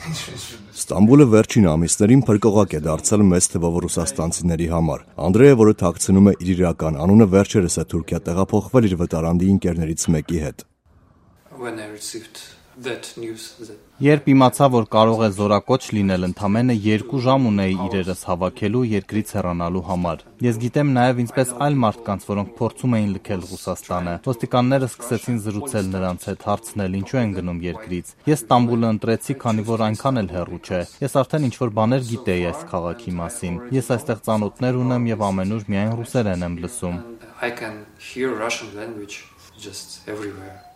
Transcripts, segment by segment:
Ստամբուլը վերջին ամիսներին փրկողակ է դարձել մեծ թվով ռուսաստանցիների համար։ Անդրեյը, որը թաքցնում է իր իրական անունը, վերջերս է Թուրքիա տեղափոխվել իր վտարանդի ընկերներից մեկի հետ։ Երբ իմացա, որ կարող է զորակոչ լինել, ընդամենը 2 ժամ ունեի իրերս հավաքելու երկրից հեռանալու համար։ Ես գիտեմ նաև ինչպես այլ մարդկանց, որոնք փորձում էին լքել Ռուսաստանը։ Ոստիկանները սկսեցին զրուցել նրանց հետ, հարցնել ինչու են գնում երկրից։ Ես Ստամբուլը ընտրեցի, քանի որ այնքան էլ հեռու չէ։ Ես արդեն ինչ-որ բաներ գիտեի այս քաղաքի մասին։ Ես այստեղ ծանոթներ ունեմ եւ ամենուր միայն ռուսերեն եմ լսում։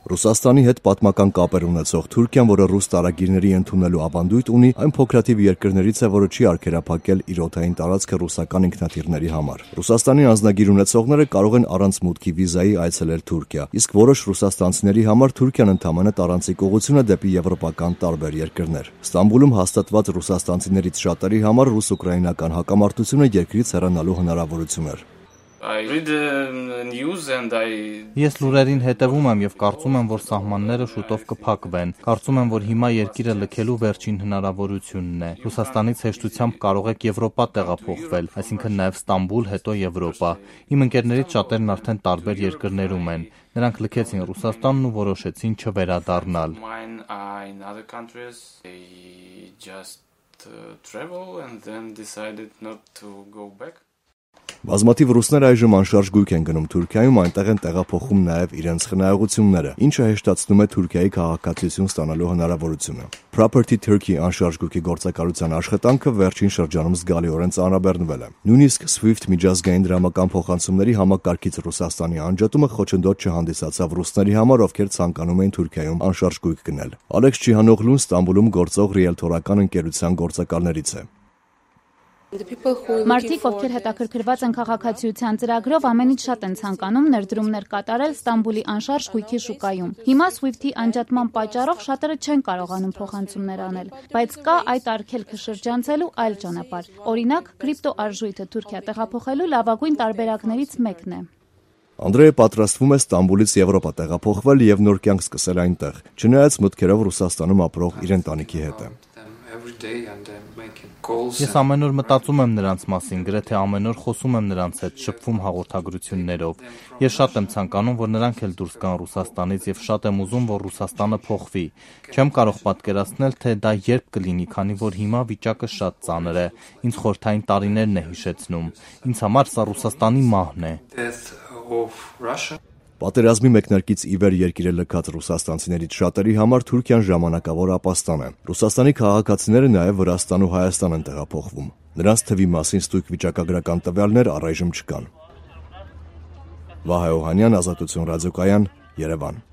Ռուսաստանի հետ պատմական կապեր ունեցող Թուրքիան, որը ռուս տարագիրների ընդունելու ավանդույթ ունի, այն փոքրաթիվ երկրներից է, որը չի արգելափակել իր օդային տարածքը ռուսական ինքնաթիռների համար։ Ռուսաստանի անձնագիր ունեցողները կարող են առանց մուտքի վիզայի այցելել Թուրքիա, իսկ որոշ ռուսաստանցիների համար Թուրքիան ընդամենը տարանցիկ ուղղություն է դեպի եվրոպական տարբեր երկրներ։ Ստամբուլում հաստատված ռուսաստանցիներից շատերի համար ռուս-ուկրաինական հակամարտությունը երկրից հեռանալու հնարավորություն էր։ Ես լուրերին հետևում եմ եւ կարծում եմ, որ սահմանները շուտով կփակվեն։ Կարծում եմ, որ հիմա երկիրը լքելու վերջին հնարավորությունն է։ Ռուսաստանից հեշտությամբ կարող եք Եվրոպա տեղափոխվել, այսինքն նաեւ Ստամբուլ, հետո Եվրոպա։ Իմ ընկերներից շատերն արդեն տարբեր երկրներում են։ Նրանք լքեցին Ռուսաստանն ու որոշեցին չվերադառնալ։ Բազմաթիվ ռուսներ այժմ անշարժ գույք են գնում Թուրքիայում, այնտեղ են տեղափոխում նաև իրենց խնայողությունները, ինչը հեշտացնում է Թուրքիայի քաղաքացիություն ստանալու հնարավորությունը։ Property Turkey անշարժ գույքի գործակալության աշխատանքը վերջին շրջանում զգալիորեն ծանրաբեռնվել է։ Նույնիսկ SWIFT միջազգային դրամական փոխանցումների համակարգից Ռուսաստանի անջատումը խոչընդոտ չհանդիսացավ ռուսների համար, ովքեր ցանկանում էին Թուրքիայում անշարժ գույք գնել։ Ալեքս Չիհանօղլուն Ստամբուլում գործող ռիելթորական ընկերության գործակալներից է։ Մարդիկ, ովքեր հետաքրքրված են քաղաքացիության ծրագրով, ամենից շատ են ցանկանում ներդրումներ կատարել Ստամբուլի անշարժ գույքի շուկայում։ Հիմա SWIFT-ի անջատման պատճառով շատերը չեն կարողանում փոխանցումներ անել, բայց կա այդ արգելքը շրջանցելու այլ ճանապարհ։ Օրինակ, կրիպտոարժույթը Թուրքիա տեղափոխելու լավագույն տարբերակներից մեկն է։ Անդրեյը պատրաստվում է Ստամբուլից Եվրոպա տեղափոխվել եւ նոր կյանք սկսել այնտեղ, չնայած մտքերով Ռուսաստանում ապրող իր ընտանիքի հետ է։ Ես ամեն օր մտածում եմ նրանց մասին, գրեթե ամեն օր խոսում եմ նրանց հետ, շփվում հաղորդագրություններով։ Ես շատ եմ ցանկանում, որ նրանք էլ դուրս գան Ռուսաստանից եւ շատ եմ ուզում, որ Ռուսաստանը փոխվի։ Չեմ կարող պատկերացնել, թե դա երբ կլինի, քանի որ հիմա վիճակը շատ ծանր է։ Ինձ խորհրդային տարիներն է հիշեցնում։ Ինձ համար սա Ռուսաստանի մահն է։ Պատերազմի մեկնարկից ի վեր երկիրը լքած ռուսաստանցիներից շատերի համար Թուրքիան ժամանակավոր ապաստան է։ Ռուսաստանի քաղաքացիները նաև Վրաստան ու Հայաստան են տեղափոխվում։ Նրանց թվի մասին ստույգ վիճակագրական տվյալներ առայժմ չկան։ Վահե Օհանյան, Ազատություն ռադիոկայան, Երևան։